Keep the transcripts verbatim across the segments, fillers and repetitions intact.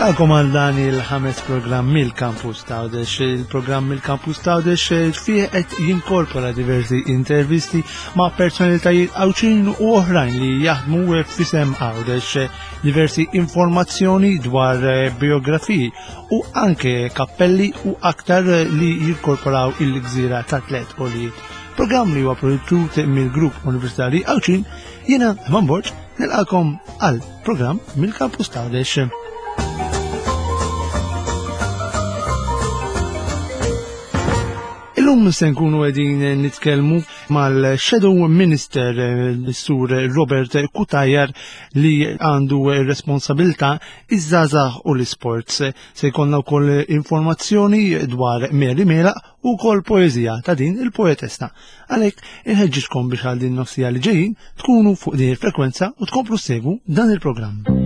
Nilqakom għal dan il-ħames programm mill-Campus Tawdex. Il-programm mill-Campus Tawdex fih qed jinkorpora diversi intervisti ma' personalitajiet Għawdxin u oħrajn li jaħdmu f'isem Għawdex, diversi informazzjoni dwar biografiji u anke kappelli u aktar li jinkorporaw il-gżira ta' tliet għoljiet. Programm li huwa prodott mill-Grupp Universitarji Għawdxin, jiena Eman Borg nilqakom għal programm mill-Campus Tawdex. Illum se nkunu qegħdin nitkellmu mal-Shadow Minister l-Sur Robert Cutajar li għandu responsabilità iż-żgħażagħ u l-isports. Se jkollna wkoll informazzjoni dwar Mary Meilaq u wkoll poeżija ta' din il-poetessa. Għalhekk inħeġġiġkom biex għal din nofsija li ġejjin tkunu fuq din il-frekwenza u tkomplu ssegwu dan il-programm.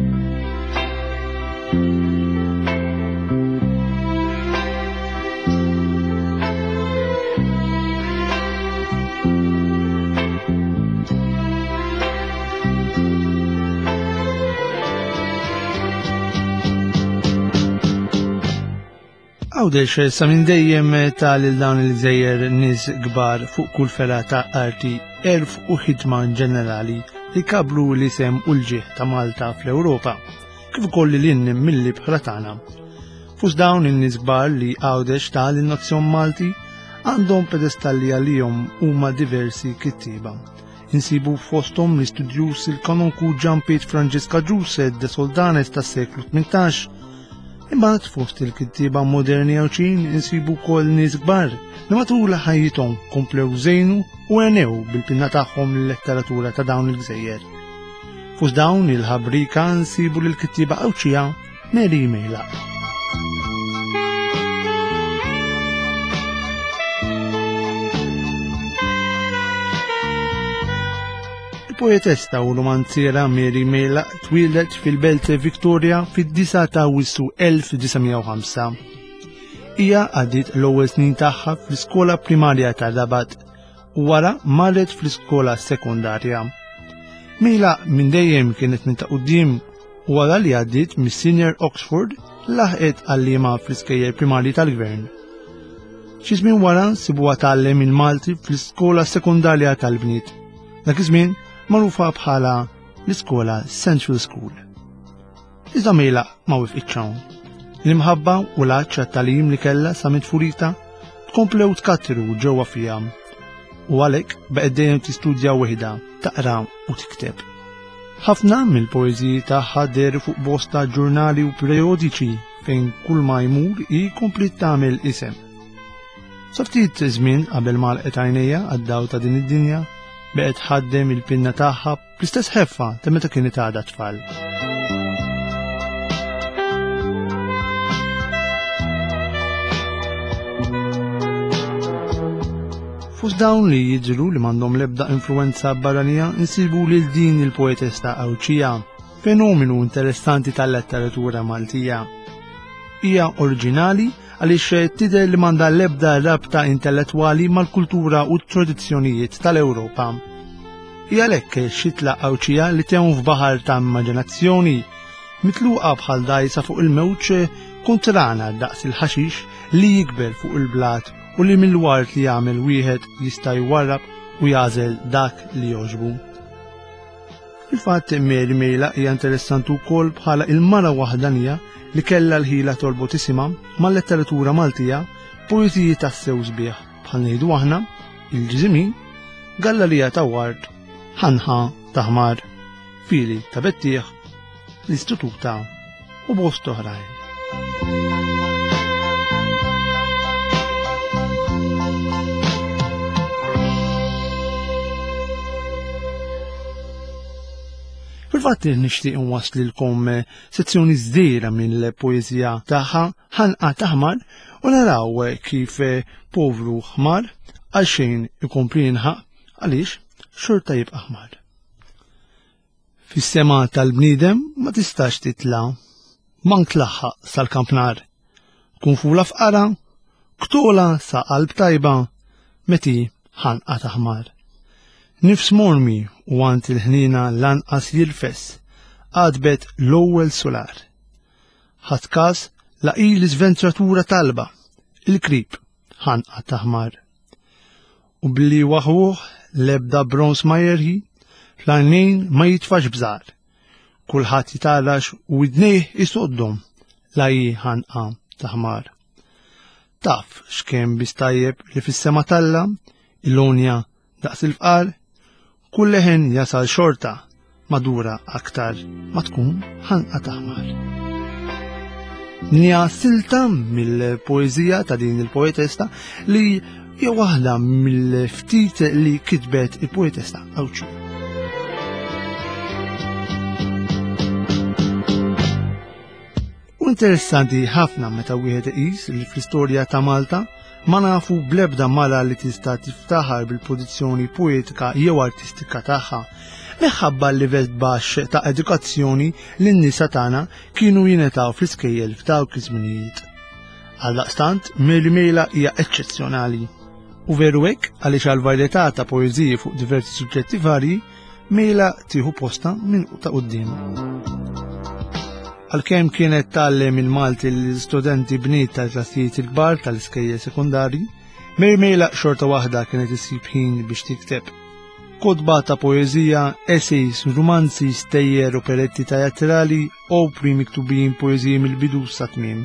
Għawdex sa minn dejjem ta' lil dawn il-gżejjer nies kbar fuq kull fergħa ta' arti, għerf u ħidma ġenerali li kablu l-isem u l-ġieħ ta' Malta fl-Ewropa, kif ukoll lil hinn mill-ibħra tagħna. Fost dawn in-nies kbar li Għawdex ta' lin-nazzjon Malti għandhom pedestalli għalihom huma diversi kittieba. Insibu fosthom l-istudjuż il-kanonku Ġan Piet Franġisk Agius de Soldanes tas-seklu tmintax. Imbagħad fost il-kittieba moderni Għawdxin insibu wkoll nies kbar li matul ħajjithom komplew żejnu u għenew bil-pinna tagħhom l-letteratura ta' dawn il-gżejjer. Fost dawn il-ħabrika nsibu lill-kittieba Għawdxija Mary Meilaq. Il-poetessa u romanziera Mary Meilaq twieldet fil-Belt Victoria fid-disgħa ta' Awwissu elf disa' mija u ħamsa. Hija għaddiet l-ewwel snin tagħha fl-iskola primarja ta' Rabat u wara marret fl-iskola sekondarja. Meilaq minn dejjem kienet minn ta' quddiem u wara li għaddiet mis-Senior Oxford laħqet għalliema fl-iskejjel primarji tal-gvern. Xi żmien wara nsibuha tgħallem il-Malti fl-iskola sekondarja tal-bniet. Dak iż-żmien magħrufa bħala l-iskola Central School. Iżda Meilaq ma wifqitx hawn. L-imħabba u l-għatx għat-tagħlim li kellha sa minn tfulita tkomplew tkattru ġewwa fiha. U għalhekk baqgħet dejjem tistudja waħedha, taqra u tikteb. Ħafna mill-poeżiji tagħha dehru fuq bosta ġurnali u periodiċi fejn kull ma jmur hi kompliet tagħmel isem. Sa ftit żmien qabel ma għalqet għajnejha għad-dawl ta' din id-dinja, baqgħet ħaddem il-pinna tagħha bl-istess ħeffa ta' meta kienet għadha tfal. Fost dawn li jidhru li m'għandhom l-ebda influenza barranija nsibu lil din il-poetessa Għawdxija, fenomenu interessanti tal-letteratura Maltija. Hija oriġinali għaliex tidher li m'għandha l-ebda rabta intellettwali mal-kultura u t-tradizzjonijiet tal-Ewropa. Hija għalhekk xitla Għawdxija li tgħum f'baħar ta' immaġinazzjoni, mitluqa bħal dgħajsa fuq il-mewġ kontrana daqs il-ħaxix li jikber fuq il-blat u li mill-wart li jagħmel wieħed jista' jwarrab u jagħżel dak li jogħġbu. Fil-fatt Mary Meilaq hija interessanti wkoll bħala il-mara waħdanija li kellha l-ħila torbot isimha mal-letteratura Maltija poeżiji tassew sbieħ bħal ngħidu aħna il-Ġiżimin, Gallarija ta' Ward, Ħanħa ta' Ħmar, Fili ta' Bettieħ, l-Istituta u bost oħrajn. Fil-fatt nixtieq nwaslilkom sezzjoni żdira mill-poeżija tagħha Ħanqa ta' Ħmar u naraw kif povru ħmar għal xejn ikompli jinħaq għaliex xorta jibqa' ħmar. Fis-sema tal-bniedem ma tistax titla', mank tlaħħaq sal-kampnar. Tkun fula f'qara, ktola sa qalb tajba, meti ħanqa ta' ħmar. Nifs mormi u għand il-ħnina lanqas jirfes, għadbet l-ewwel solar. Ħadd każ la hi l-iżventratura talba, il-krib ħanqa taħmar. U billi waħuh l-ebda bronz ma jerħi, fl-għajnejn ma jitfax bżar. Kulħadd jitgħarrax u widnejh isoddhom la hi ħanqa taħmar. Taf x'kemm biss tajjeb li fis-sema talla, il-lonja daqs il-fqar, kull leħen jasal xorta madura aktar ma tkun ħanqa taħmar. Nija silta mill-poeżija ta' din il-poetessa li hija waħda mill-ftit li kitbet il-poetessa Għawdxija. U interessanti ħafna meta wieħed iqis li fl-istorja ta' Malta ma nafu bl-ebda mara li tista' tiftaħar bil-produzzjoni poetika jew artistika tagħha, minħabba l-livell baxx ta' edukazzjoni li n-nisa tagħna kienu jingħataw fl-iskejjel f'dawk iż-żminijiet. Għaldaqstant, Mary Mejlaq hija eċċezzjonali. U veru hekk għaliex għal varjetà ta' poeżiji fuq diversi suġġetti varji, Mejlaq tieħu posta minn ta' quddiem. Għalkemm kienet tgħallem il-Malti l-istudenti bniet tal-klassijiet il-kbar tal-iskejjel sekondarji, Mary Mejlaq xorta waħda kienet issib ħin biex tikteb. Kotba ta' poeżija, essays, rumanzi, stejjer, operetti teatrali, opri miktubin poeżiji mill-bidu sa tmiem.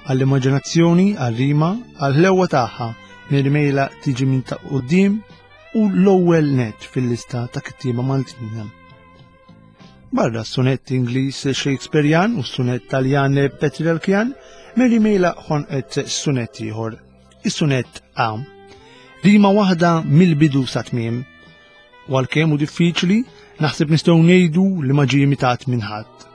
Għall-immaġinazzjoni, għall-rima, għall-ħlewwa tagħha, Mary Mejlaq tiġi minn ta' quddiem u l-ewwel net fil-lista ta' kittieba Maltin. Barra s-sunett Ingliż Shakespearean u s-sunett Taljan Petrarchian, Mary Mejlaq ħonqet sunett ieħor, is-sunett A. Rima waħda mill-bidu sa tmiem. U għalkemm hu diffiċli, naħseb nistgħu ngħidu li ma ġie imitat minn ħadd.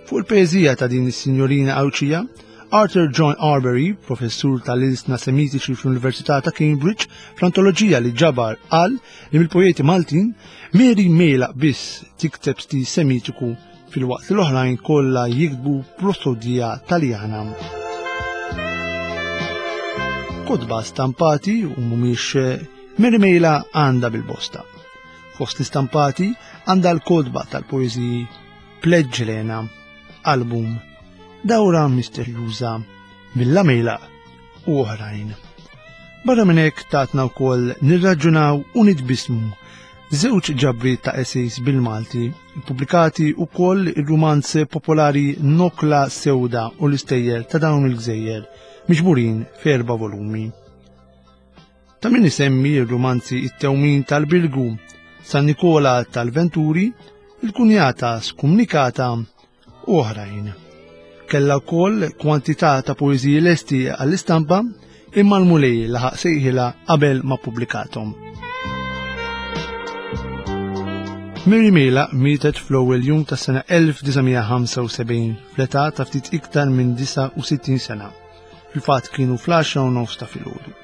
Fuq il-poeżija ta' din is-sinjorina Għawdxija, Arthur John Arberry, professur tal-ilsna semitiċi fl-Università ta' Cambridge, fl-antoloġija li ġabar qal li mill-poeti Maltin, Mary Mejlaq biss tikteb stil semitiku fil-waqt li l-oħrajn kollha jiktbu prosodija Taljana. Kotba stampati u mhumiex Mary Mejlaq għandha bil-bosta. Fost l-istampati għandha l-kotba tal-poeżiji Pledge Lena, Album, Dawra Misterjuża, Villa Mejlaq u oħrajn. Barra minn hekk tatna wkoll nirraġunaw u nitbismu żewġ ġabriet ta' essays bil-Malti, pubblikati wkoll ir-rumanz popolari Nokla Sewda u l-istejjer ta' dawn il-gżejjer, miġburin f'erba' volumi. Ta' min isemmi r-rumanzi It-Tewmin tal-Birgu, San Nikola tal-Venturi, Il-Kunjata Skumnikata u oħrajn. Kellha wkoll kwantità ta' poeżiji lesti għall-istampa imma l-Mulej laħaq sejħilha qabel ma ppubblikathom. Mary Mejlaq mietet fl-ewwel jum tas-sena elf disa' mija ħamsa u sebgħin fl-età ta' ftit iktar minn disa' u sittin sena. Fil-fatt kienu fl-għaxra u nofs ta' filgħodu.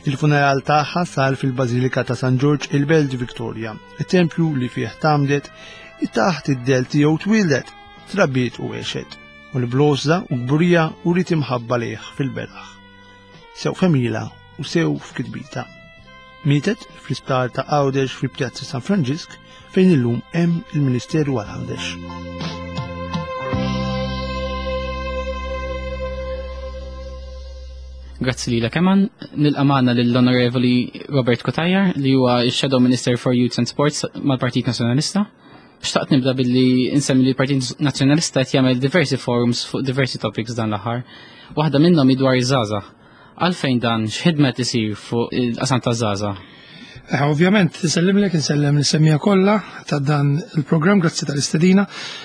Il-funeral tagħha sar fil-Bażilika ta' San Ġorġ il-Belt Victoria, it-tempju li fih tgħammdet, taħt id-del tiegħu twieldet, trabbiet u għexet, u l-bloża u kburija u rrid imħabba lejh fil-beraħ. Sew femila u sew f'kitbita. Mietet fl-isptar ta' Għawdex fi Pjazza San Franġisk fejn illum hemm il-Ministeru għal Għawdex. Grazzi lilek Eman, nilqa' magħna lill-Onorevoli Robert Cutajar li huwa x-Shadow Minister for Youth and Sports mal-Partit Nazzjonalista. Xtaqt nibda billi insemmi li l-Partit Nazzjonalista qed jagħmel diversi forums fuq diversi topics dan l-aħħar. Waħda minnhom hi dwar iż-żgħażagħ. Għalfejn dan x'ħidma qed isir fuq il-qasam taż-żgħażagħ? Eh, ovvjament, nsellimlek, insellem l-semmija kollha ta' dan il-programm, grazzi tal-istedina.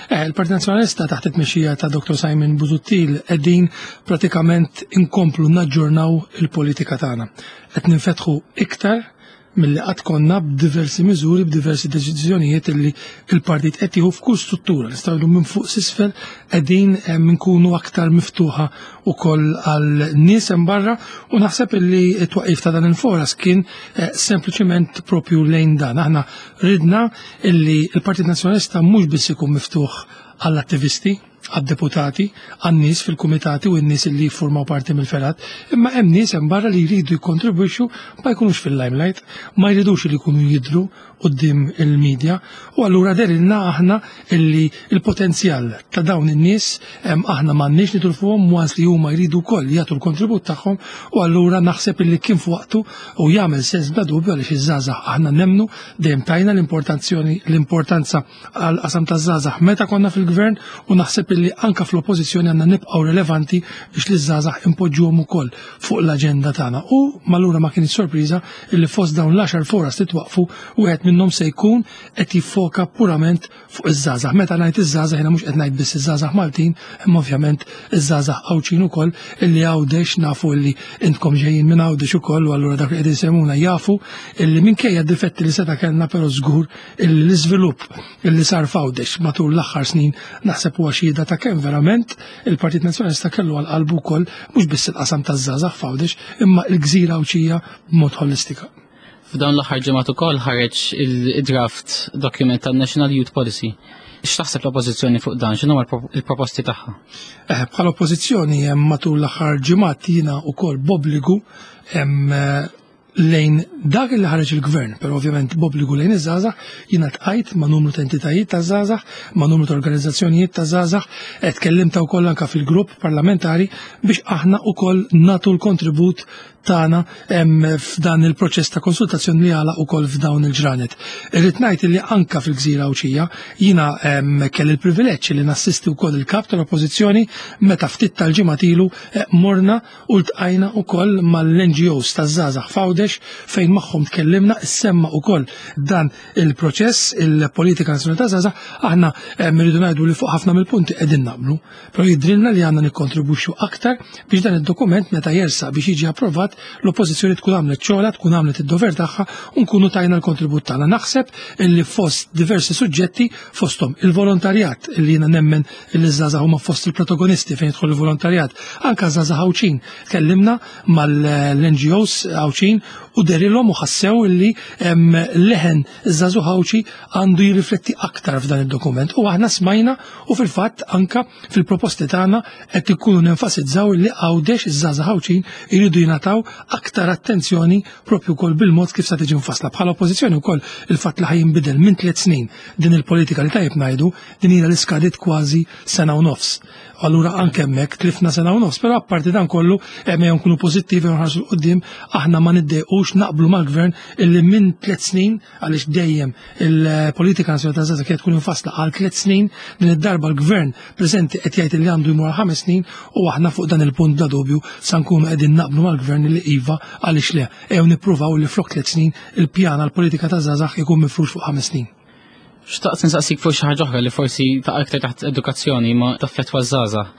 Eh, il-Partit Nazzjonalista taħt it-tmexxija ta' Doktor Simon Busuttil qegħdin pratikament inkomplu naġġornaw il-politika tagħna. Qed ninfetħu iktar milli qatt konna b'diversi miżuri, b'diversi deċiżjonijiet illi il-partit qed jieħu f'kull struttura. Nistgħu ngħidu minn fuq s'isfel qegħdin, eh, nkunu aktar miftuħa wkoll għal nies hemm barra, u naħseb illi t-twaqif ta' dan il-foras kien, eh, sempliċement propju lejn dan. Aħna ridna illi il-Partit Nazzjonalista mhux biss ikun miftuħ għall-attivisti, għad-deputati, għan-nies fil-kumitati u n-nies li jiffurmaw parti mill-fergħat, imma hemm nies hemm barra li jridu jikkontribwixxu ma jkunux fil-limelight, ma jridux li jkunu jidhru quddiem il-medja, u allura dehrilna aħna illi il-potenzjal ta' dawn in-nies aħna m'għandniex nitilfuhom once li huma jridu wkoll jagħtu l-kontribut tagħhom, u allura naħseb illi kien f'waqtu u jagħmel sens bla dubju għaliex iż-żgħażagħ aħna nemmnu dejjem tajna l-importanzjoni l-importanza għal qasam taż-żgħażagħ meta konna fil-gvern, u naħseb illi anka fl-oppożizzjoni għandna nibqgħu relevanti biex li żgħażagħ impoġġuhom ukoll fuq l-aġenda tagħna. U allura ma kienx sorpriża illi fost dawn l-għaxar forums li twaqfu wieħed minnhom se jkun qed jiffoka purament fuq iż-żgħażagħ. Meta ngħid iż-żgħażagħ jiena mhux qed ngħid biss iż-żgħażagħ Maltin, imma ovvjament iż-żgħażagħ Għawdxin ukoll illi Għawdex nafu illi intkom ġejjin minn Għawdex ukoll, u allura dak li qegħdin semuna jafu illi minkejja d-difetti li seta' kellna, però żgur illi l-iżvilupp illi sar f'Għawdex matul l-aħħar snin naħseb huwa xhieda ta' kemm verament il-Partit Nazzjonalista kellu għal qalbu wkoll mhux biss il-qasam taż-żgħażagħ f'Għawdex imma l-gżira Għawdxija b'mod holistika. F'dawn l-aħħar ġimgħat ukoll ħareġ il-draft document tan-National Youth Policy. X'taħseb l-oppożizzjoni fuq dan? X'inhuma l-proposti tagħha? Eh, bħala oppożizzjoni hemm matul l-aħħar ġimgħat jiena wkoll b'obbligu hemm lejn dak li ħareġ il-gvern, però ovvjament b'obbligu lejn iż-żgħażagħ, jiena ltqajt ma' numru ta' entitajiet ta' żgħażagħ, ma' numru ta' organizzazzjonijiet ta' żgħażagħ, qed tkellimta wkoll anke fil-grupp parlamentari biex aħna wkoll nagħtu l-kontribut tagħna f'dan il-proċess ta' konsultazzjoni li għala wkoll f'dawn il-ġranet. Irrid ngħid li anka fil-Gżira Għawdxija jiena kelli l-privileġġ li nassisti wkoll il-kap tal-Oppożizzjoni meta ftit tal-ġimgħat ilu morna u ltqajna wkoll mal-N G Os taż-żgħażagħ f'Għawdex fejn magħhom tkellimna, issemma wkoll dan il-proċess, il-politika nazzjonali taż-żgħażagħ. Aħna rridu ngħidu li fuq ħafna mill-punti qegħdin naqblu, però jidrilna li għandna nikkontribwixxu aktar biex dan id-dokument meta jersaq biex jiġi approvat l-oppożizzjoni tkun għamlet xogħla, tkun għamlet id-dover tagħha u nkunu tajna l-kontribut tagħna. Naħseb illi fost diversi suġġetti fosthom il-volontarjat illi jiena nemmen illi żgħażagħ huma fost il-protagonisti fejn jidħol il-volontarjat, anke żgħażagħ Għawdxin. Tkellimna mal-N G Os Għawdxin u derilhom u ħassew illi hemm leħen iż-żagħżugħ Għawdxi għandu jirrifletti aktar f'dan id-dokument. U aħna smajna u fil-fatt anka fil-proposti tagħna qed ikunu nenfasizzaw illi Għawdex iż-żgħażagħ Għawdxin iridu jingħataw aktar attenzjoni propju wkoll bil-mod kif sa tiġi mfassla. Bħala oppożizzjoni wkoll il-fatt li ħajinbidel minn tliet snin din il-politika li tajjeb ngħidu din hija li skadiet kważi sena u nofs. Allura anke hemmhekk tlifna sena u nofs, però apparti dan kollu hemm jew nkunu pożittivi u nħarsu 'l quddiem, aħna ma niddejqux naqblu mal-gvern illi minn tliet snin, għaliex dejjem il-politika nazzjonali taż-żgħażagħ kienet tkun infassla għal tliet snin, din id-darba l-gvern preżenti qed jgħid li għandu jmur għal ħames snin u aħna fuq dan il-punt bla dubju sa nkunu qegħdin naqblu mal-gvern li iva għaliex le, ejjew nippruvaw li flok tliet snin il-pjan għall-politika taż-żgħażagħ ikun mifrux fuq ħames snin. Xtaqt nsaqsik fuq xi ħaġa oħra li forsi ta' aktar taħt edukazzjoni ma taffettwa żgħażagħ.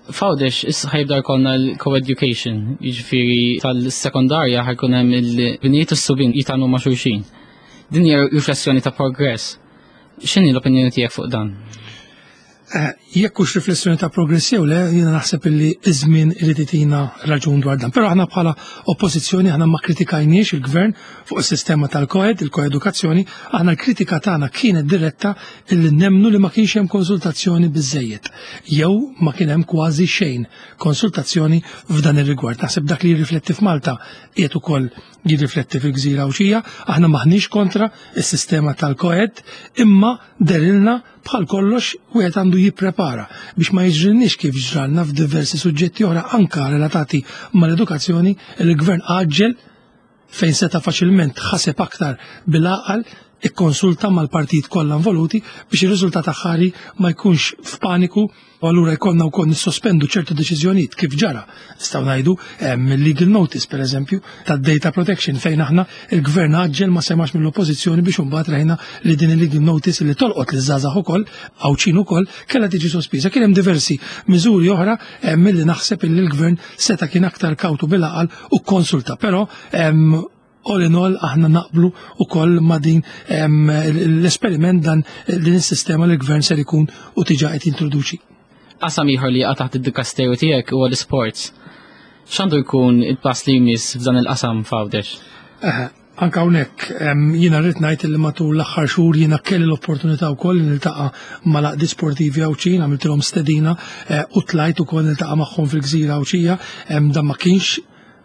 F'Għawdex issa ħajbda jkollna l-co-education, jiġifieri tal-sekondarja ħajkun hemm il-bniet u s-subien jitgħallmu ma' xulxin. Din hija riflessjoni ta' progress. X'inhi l-opinjoni tiegħek fuq dan? Eh, jekk hux riflessjoni ta' progress jew le, jiena naħseb illi iż-żmien irid itina raġun dwar dan. Però aħna bħala oppożizzjoni aħna ma kritikajniex il-gvern fuq is-sistema tal-koed, il-koedukazzjoni, aħna l-kritika tagħna kienet diretta illi nemmnu li ma kienx hemm konsultazzjoni biżejjed jew ma kien hemm kważi xejn konsultazzjoni f'dan ir-rigward. Naħseb dak li jirrifletti f'Malta qiegħed ukoll jirrifletti fil-Gżira Għawdxija, aħna maħniex kontra is-sistema tal-koed, imma derilna bħal kollox wieħed għandu jipprepara biex ma jiġrilniex kif ġralna f'diversi suġġetti oħra anka relatati mal-edukazzjoni, il-gvern għaġġel fejn seta' faċilment ħaseb aktar bil-għaqal, ikkonsulta mal-partit kollha involuti biex ir-riżultat aħħari ma jkunx f'paniku u allura jkollna wkoll nissospendu ċertu deċiżjonijiet kif ġara. Nistgħu ngħidu hemm il-legal notice pereżempju tad-data protection fejn aħna il-gvern għaġġel ma semax mill-oppożizzjoni biex imbagħad rajna li din il-legal notice li tolqot liż-żgħażagħ ukoll, Għawdxin ukoll, kellha tiġi sospiża. Kien hemm diversi miżuri oħra hemm milli naħseb illi l-gvern seta' kien aktar kawtu bil-għaqal u konsulta, però hemm all in all aħna naqblu ukoll ma' din, em, l-esperiment dan din is-sistema li l-gvern ser ikun u tiġa qed jintroduċi. Qasam ieħor li jaqa' taħt id-dikasteru tiegħek huwa l-isports. X'għandu jkun il-pass li jmiss f'dan il-qasam f'Għawdex? Aha. Anka hawnhekk jiena rrid ngħid li matul l-aħħar xhur jiena kelli l-opportunità wkoll li niltaqa' mal-għaqdiet sportivi Għawdxin, għamiltilhom stedina u tlajt ukoll niltaqa' magħhom fil-Gżira Għawdxija. Dan ma kienx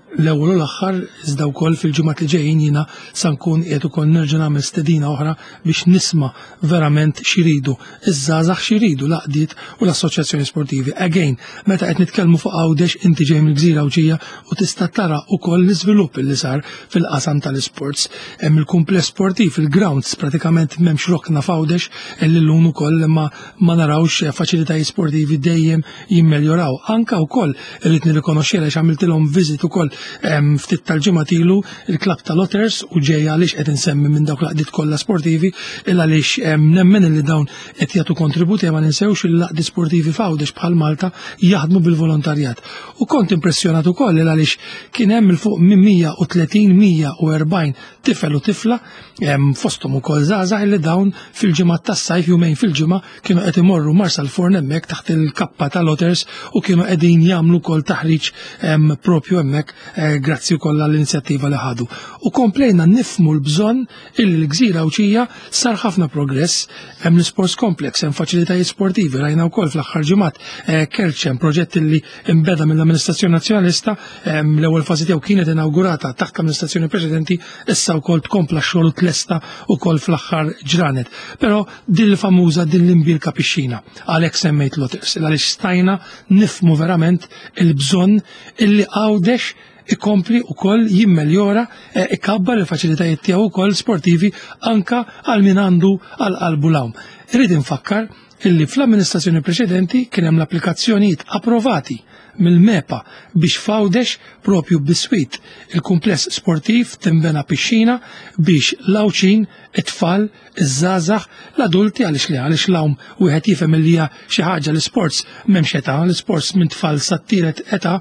l-ewwel u l-aħħar, iżda wkoll fil-ġimgħat li ġejjin jiena sa nkun qiegħed ukoll nerġa' nagħmel stedina oħra biex nisma' verament x'iridu iż-żgħażagħ, x'iridu l-għaqdiet u l-assoċjazzjoni sportivi. Again, meta qed nitkellmu fuq Għawdex, inti ġej mill-Gżira Għawdxija u tista' tara wkoll l-iżvilupp li sar fil-qasam tal-isports. Hemm il-kumpless sportiv, il-grounds, pratikament m'hemmx rokna f'Għawdex illi llum ukoll ma ma narawx faċilitajiet sportivi dejjem jimmeljoraw. Anka wkoll irrid nirrikonoxxi għaliex għamiltilhom visit ukoll ftit tal-ġimgħat ilu il-klab tal-Otters, u ġejja għaliex qed insemmi minn dawk l-għaqdiet kollha sportivi, il għaliex nemmen li dawn qed jagħtu kontributi. Ma ninsewx il-għaqdiet sportivi f'Għawdex bħal Malta jaħdmu bil-volontarjat. U kont impressjonat ukoll il għaliex kien hemm il fuq minn mija u tletin, mija u erbgħin tifel u tifla, fosthom ukoll żgħażagħ, li dawn fil-ġimgħat tas-sajf, jumejn fil-ġimgħa, kienu qed imorru Marsalforn hemmhekk taħt il-kappa tal-Otters u kienu qegħdin jagħmlu wkoll taħriġ propju hemmhekk, grazzi wkoll għall-inizjattiva li ħadu. U komplejna nifmu l-bżonn illi l-Gżira Għawdxija sar ħafna progress, hemm l-sports complex, hemm faċilitajiet sportivi, rajna wkoll fl-aħħar ġimgħat Kerċem, proġett li imbeda mill-Amministrazzjoni Nazzjonalista, l-ewwel fażi tiegħu kienet inaugurata taħt l-amministrazzjoni preċedenti, issa wkoll tkompla x-xogħol u tlesta wkoll fl-aħħar ġranet. Però din il-famuża, din l-imbierka pixxina, għalhekk semmejt l-Otters, għaliex stajna nifmu verament il-bżonn illi Għawdex ikompli u koll jimmeljora, ikabbar il-faċilitajiet tiegħu ukoll sportivi anka għal min għandu għal qalbu l-għawm. Irrid infakkar illi fl-amministrazzjoni preċedenti kien hemm l-applikazzjonijiet approvati mill-MEPA biex f'Għawdex propju biswit il-kumpless sportiv timbena pixxina biex l-Għawdxin, it-tfal, iż-żgħażagħ, l-adulti, għaliex li għaliex l-għawm wieħed jifhem li hija xi ħaġa, l-sports m'hemmx età, l-sports minn tfal sat-tielet età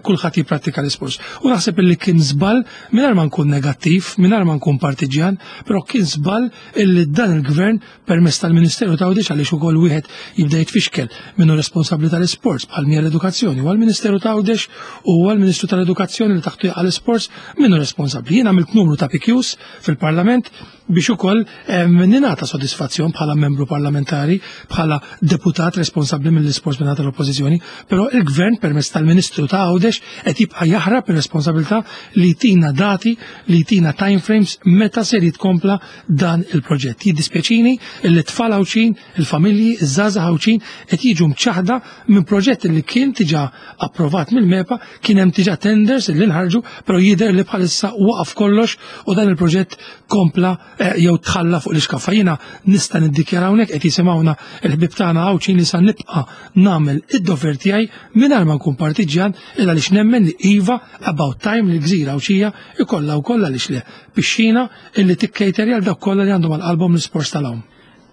kulħadd jipprattika l-sports. U naħseb illi kien żball, mingħajr ma nkun negattiv, mingħajr ma nkun partiġjan, però kien żball illi dan il-gvern permezz tal-Ministeru ta' Għawdex, għaliex ukoll wieħed jibda jitfixkel minnu responsabbli tal-sports bħal mija l-edukazzjoni, u għall-Ministeru ta' Għawdex u għall-Ministru tal-Edukazzjoni li taħtu jaqa' l-sports minnu responsabbli. Jien għamilt numru ta' P Qs fil-Parlament biex ukoll ningħata sodisfazzjon bħala membru parlamentari, bħala deputat responsabbli mill-isports minn tal-Oppożizzjoni, però il-Gvern permezz tal-Ministru ta' Għawdex qed jibqa' jaħrab ir-responsabilità li jtina dati, li jtina time frames meta ser jitkompla dan il-proġett. Jiddispjaċini li t-tfal Għawdxin, il-familji, iż-żgħażagħ Għawdxin qed jiġu mċaħda minn proġett li kien diġà approvat mill-MEPA, kien hemm diġà tenders li nħarġu, però jidher li bħalissa waqaf kollox u dan il-proġett kompla jew tħalla fuq l-iskaffa. Jiena nista' niddikjara hawnhekk, qed jisimgħuna l-ħbieb tagħna Għawdxin, li sa nibqa' nagħmel id-dover tiegħi mingħajr ma nkun partiġjan, illa għaliex nemmen li iva, about time li l-Gżira Għawdxija ikollha wkoll, għaliex le, pixxina illi tikkejterja għal dawk kollha li għandhom għal qalbhom l-isports tal-għawm.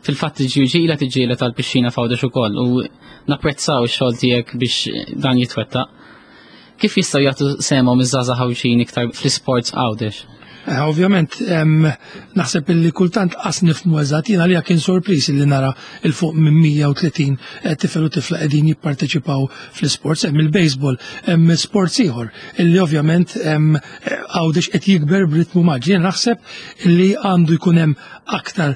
Fil-fatt il-G U G ilha tiġġieled tal-pixxina f'Għawdex ukoll u napprezzaw ix-xogħol tiegħek biex dan jitwettaq. Kif jistgħu jagħtu sehemhom iż-żgħażagħ Għawdxin iktar fl-isports Għawdex? Eh, ovvjament, naħseb illi kultant qas nifmu eżatt, jiena li kien sorpriż illi nara il fuq minn mija u tletin eh, tifel u tifla qegħdin jipparteċipaw fl-sports, hemm il-baseball, hemm sports ieħor illi ovvjament eh, Għawdex qed jikber b'ritmu mgħaġġel. Jiena naħseb illi għandu jkun hemm aktar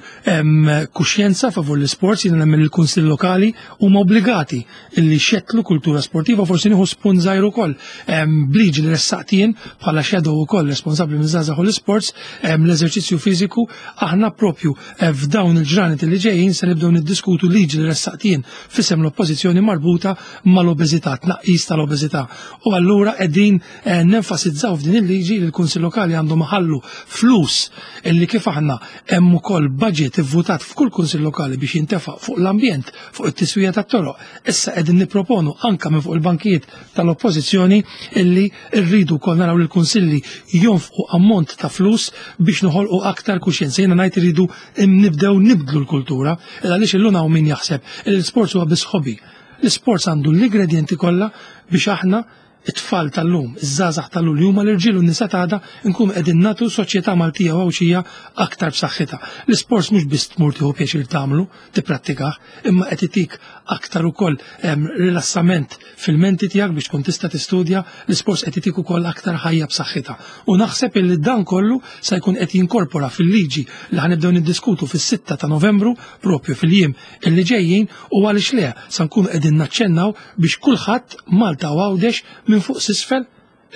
kuxjenza favur l-sports. Jiena nemmen il-Kunsill Lokali huma obbligati illi xettlu kultura sportiva, forsi nieħu spunt żgħir ukoll b'liġi li ressaqt jien bħala shadow ukoll responsabbli minn żgħażagħ u l-sports, l-eżerċizzju fiżiku, aħna propju eh, f'dawn il-ġranet li ġejjin se nibdew niddiskutu liġi li ressaqt jien f'isem l-oppożizzjoni marbuta mal-obeżità, tnaqqis tal-obeżità. U allura qegħdin eh, nenfasizzaw f'din il-liġi li l-Kunsill Lokali għandhom ħallu flus illi kif aħna hemm ukoll budget ivvutat f'kull Kunsill Lokali biex jintefaq fuq l-ambjent, fuq it-tiswija tat-toroq. Issa qegħdin nipproponu anka minn fuq il-bankijiet tal-oppożizzjoni illi rridu wkoll naraw li l-kunsilli jonfqu ammont ta' flus biex noħolqu aktar kuxjenza. Jiena ngħid irridu nibdew nibdlu l-kultura, għaliex illum hawn min jaħseb li l-sports huwa biss hobby. L-sports għandu l-ingredienti kollha biex aħna it-tfal tal-lum, iż-żgħażagħ tal-lum li huma l-irġiel u n-nisa tagħna nkunu qegħdin nagħtu soċjetà Maltija u Għawdxija aktar b'saħħitha. L-isports mhux biss tmur tieħu pjaċir tagħmlu, tipprattikah, imma qed itik aktar ukoll rilassament fil-menti tiegħek biex tkun tista' tistudja, l-isports qed itik ukoll aktar ħajja b'saħħitha. U naħseb illi dan kollu se jkun qed jinkorpora fil-liġi li ħanibdew niddiskutu fis-sitta ta' Novembru propju fil-jiem illi ġejjin, u għaliex le sa nkunu qegħdin naċċennaw biex kulħadd Malta u Għawdex minn fuq s'isfel,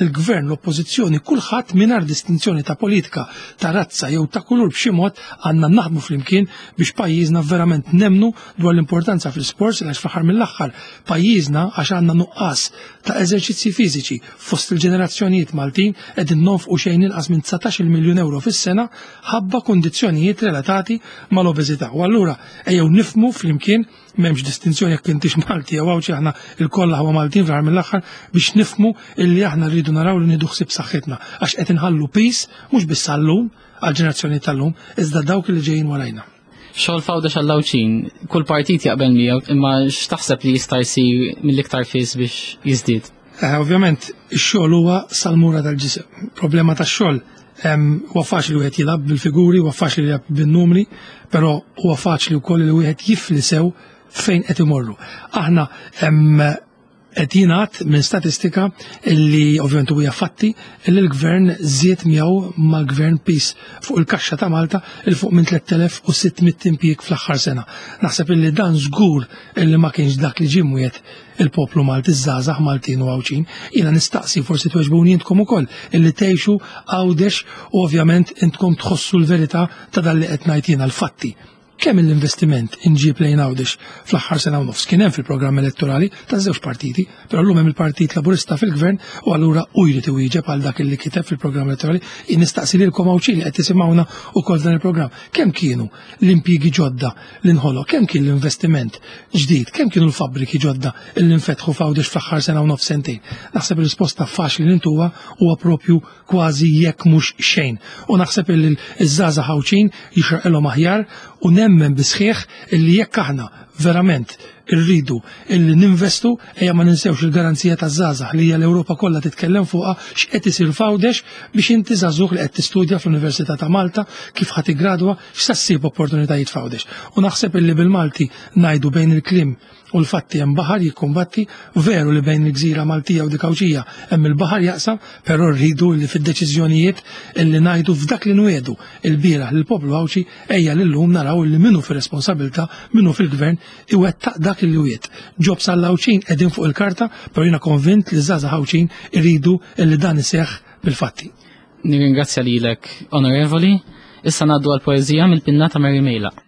il-gvern, l-oppożizzjoni, kulħadd mingħajr distinzjoni ta' politika, ta' razza jew ta' kulur b'xi mod għandna naħdmu flimkien biex pajjiżna verament nemnu dwar l-importanza fl-isports, għax fl-aħħar mill-aħħar pajjiżna għax għandna nuqqas ta' eżerċizzji fiżiċi fost il-ġenerazzjonijiet Maltin qegħdin nonfqu xejn inqas minn dsatax-il miljun euro fis-sena ħabba kundizzjonijiet relatati mal-obeżità. U allura ejjew nifhmu flimkien, m'hemmx distinzjoni jekk intix Malti jew Għawdxi, aħna l-kollha ħwa Maltin fl-aħħar mill-aħħar, biex nifhmu illi aħna rridu naraw li nieħdu ħsieb saħħitna għax qed inħallu pis mhux biss għallum għall-ġenerazzjoni tal-lum iżda dawk li ġejjin warajna. Xogħol f'Għawdex għall-Għawdxin, kull partit jaqbel miegħu, imma x'taħseb li jista' jsir mill-iktar fis biex jiżdied? Eh, ovvjament ix-xogħol huwa salmura tal-ġisem. Problema tax-xogħol huwa faċli wieħed jilgħab bil-figuri, huwa faċli jilgħab bin-numri, però huwa faċli wkoll li wieħed jifli sew fejn qed imorru. Aħna qed jingħad minn statistika illi ovvjament huwa fatti illi l-gvern żied miegħu mal-gvern pis fuq il-kaxxa ta' Malta il fuq minn tliet elef u sitt mitt impjieg fl-aħħar sena. Naħseb illi dan żgur illi ma kienx dak li ġie mwiegħed il-poplu Malti, iż-żgħażagħ Maltin u Għawdxin. Jiena nistaqsi forsi tweġbuni intkom ukoll illi tgħixu Għawdex u ovvjament intkom tħossu l-verità ta' dan li qed ngħid jiena l-fatti. Kemm l-investiment inġib lejn Għawdex fl-aħħar sena u nofs kien hemm fil-programm elettorali ta' żewġ partiti, però llum hemm il-Partit Laburista fil-Gvern u allura hu jrid iwieġeb għal dak li kiteb fil-programm elettorali. Jien nistaqsi lilkom Għawdxin li qed tisimgħuna wkoll dan il-programm. Kemm kienu l-impjiegi ġodda li nħoloq, kemm kien l-investiment ġdid, kemm kienu l-fabbriki ġodda li nfetħu f'Għawdex fl-aħħar sena u nofs sentejn? Naħseb ir-risposta faċli li ntuha huwa propju kważi jekk mhux xejn. U naħseb li ż-żgħażagħ Għawdxin jixraqilhom aħjar u nemmen bisħieħ illi jekk aħna verament irridu illi ninvestu, ejja ma ninsewx il-garanzija taż-żgħażagħ li hija l-Ewropa kollha titkellem fuqha x'qed isir f'Għawdex biex inti żagħżugħ li qed tistudja fl-Università ta' Malta kif ħadd iggradwa x'sa ssib opportunitajiet f'Għawdex. U naħseb illi bil-Malti ngħidu bejn il-kliem u l-fatti hemm baħar jikkumbatti, veru li bejn il-gżira Maltija u dik Għawdxija hemm il-baħar jaqsam, però rridu li fid-deċiżjonijiet illi ngħidu f'dak li nwiedu il-bieraħ lill-poplu Għawdxi ejja lillum naraw illi minnu fir-responsabilità, minnu fil-gvern iwettaq dak li wiet. Ġobs għall-Għawdxin qegħdin fuq il-karta, però jiena konvint li żgħażagħ Għawdxin irridu illi dan iseħħ bil-fatti. Nirringrazzja lilek, Onorevoli. Issa ngħaddu għall-poeżija mill-pinna ta' Mary Mejlaq.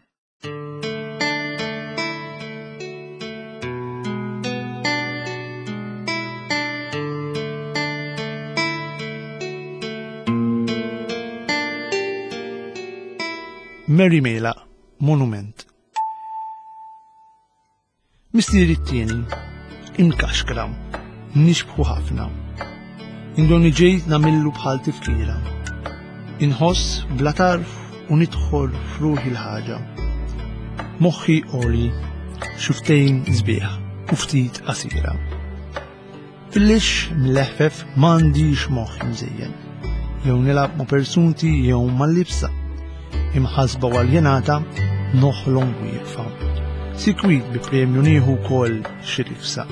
Mary Mejlaq, Monument. Mistieri t-tieni, imkaxkra, nixbħu ħafna. Indonni ġejt namillu bħal tifkira. Inħoss bla tarf u nidħol f'ruħi l-ħaġa. Moħħi għoli, xuftejn sbieħ u ftit qasira. Fil-lix mleħfef m'għandix moħħ imżejjen. Jew nilgħab ma' persunti jew mal-libsa. Imħasba u aljenata noħlom wieqfa. Sikwit bi premju nieħu wkoll xi rifsa.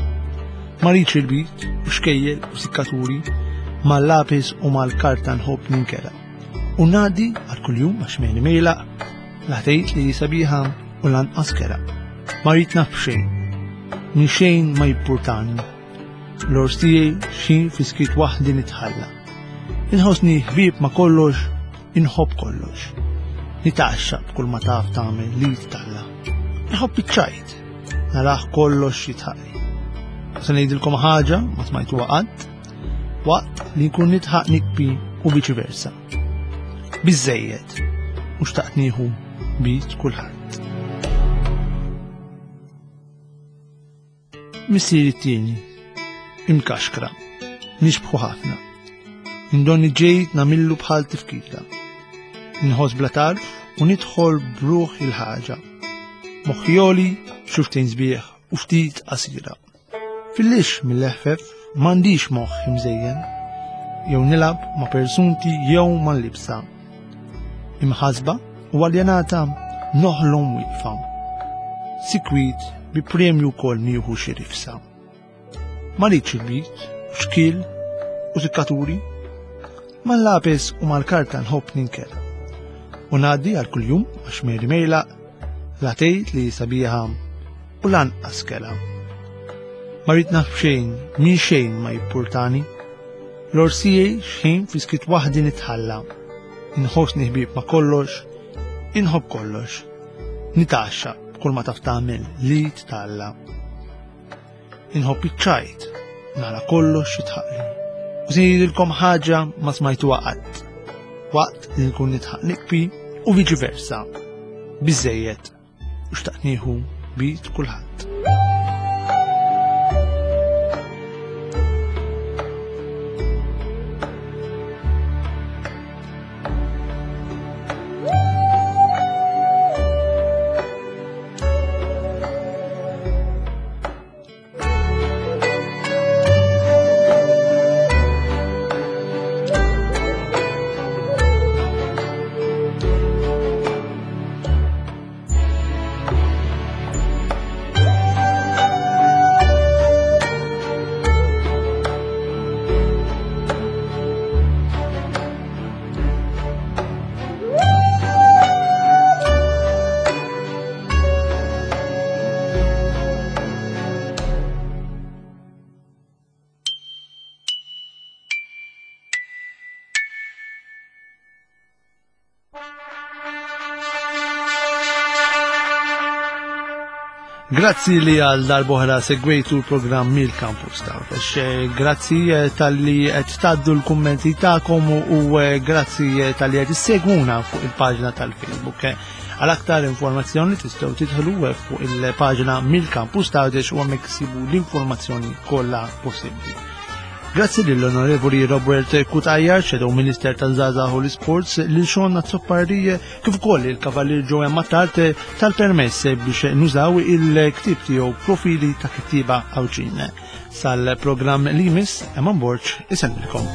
Ma rridx il-bit u xkejjel u sikkaturi, mal-lapis u mal-karta nħobb ninkela. U ngħaddi għal kuljum għax Mary Mejlaq, la tgħid li sabiħa u lanqas kera. Ma rrid naf xejn, minn xejn ma jippurtani. L-ors tiegħi xi fiskit waħdi nitħalla. Inħossni ħbieb ma kollox, inħobb kollox. Nitgħaxxaq b'kull ma taf tagħmel li talla. Nħobb iċ-ċajt, naraħ kollox jitħaqli. Se ngħidilkom ħaġa ma smajtuha qatt, waqt li nkun nitħaq nikbi u viċi versa. Biżżejjed, u xtaqt nieħu bit kulħadd. Missieri t-tieni, imkaxkra, nixbħu ħafna. Indonni ġejt namillu bħal tifkira. Inħoss bla tarf u nidħol bruħ il-ħaġa. Moħħi għoli, xuftejn sbieħ u ftit qasira. Fil-lix mill-eħfef M'għandix moħħ imżejjen, jew nilgħab ma' persunti jew mal-libsa. Imħasba u aljenata noħlom wieqfa. Sikwit bi premju wkoll nieħu xi rifsa. Ma rridx il-bit, xkiel u sikkaturi, mal-lapis u mal-karta nħobb ninkera. U ngħaddi għal kuljum għax Mary Mejlaq la tgħid li sabiħa u lanqas kela. Ma rrid naf xejn, minn xejn ma jippurtani. L-orsijej xejn fi skiet waħdi nitħalla. Inħossni ħbieb ma' kollox, inħobb kollox. Nitaxxa b'kull ma taf tagħmel li titalla. Inħobb iċ-ċajt, nara kollox jitħaqli. U se ngħidilkom ħaġa ma smajtuha qatt. Waqt li nkun nitħaq nikbi u viċi versa. Biżejjed u xtaqt nieħu bit kulħadd. Grazzi li għal darbohra segwejtu l-programm mill-Campus Għawdex. Grazzi tal-li qed tgħaddu l-kummenti tagħkom u grazzi tal-li qed issegwuna fuq il-paġna tal-Facebook. Għal aktar informazzjoni tistgħu tidħlu fuq il-paġna mill-Campus Għawdex u hemmhekk issibu l-informazzjoni kollha possibbli. Grazzi lill-Onorevoli Robert Cutajar, Shadow Minister tal-Żgħażagħ u l-Sports, lil Sean Azzopardi, kif ukoll il-Kavalier Joe Mattart tal-permess biex nużaw il-ktib tiegħu Profili ta' Kittieba Għawdxin. Sal-programm li jmiss, Eman Borg isellmilkom.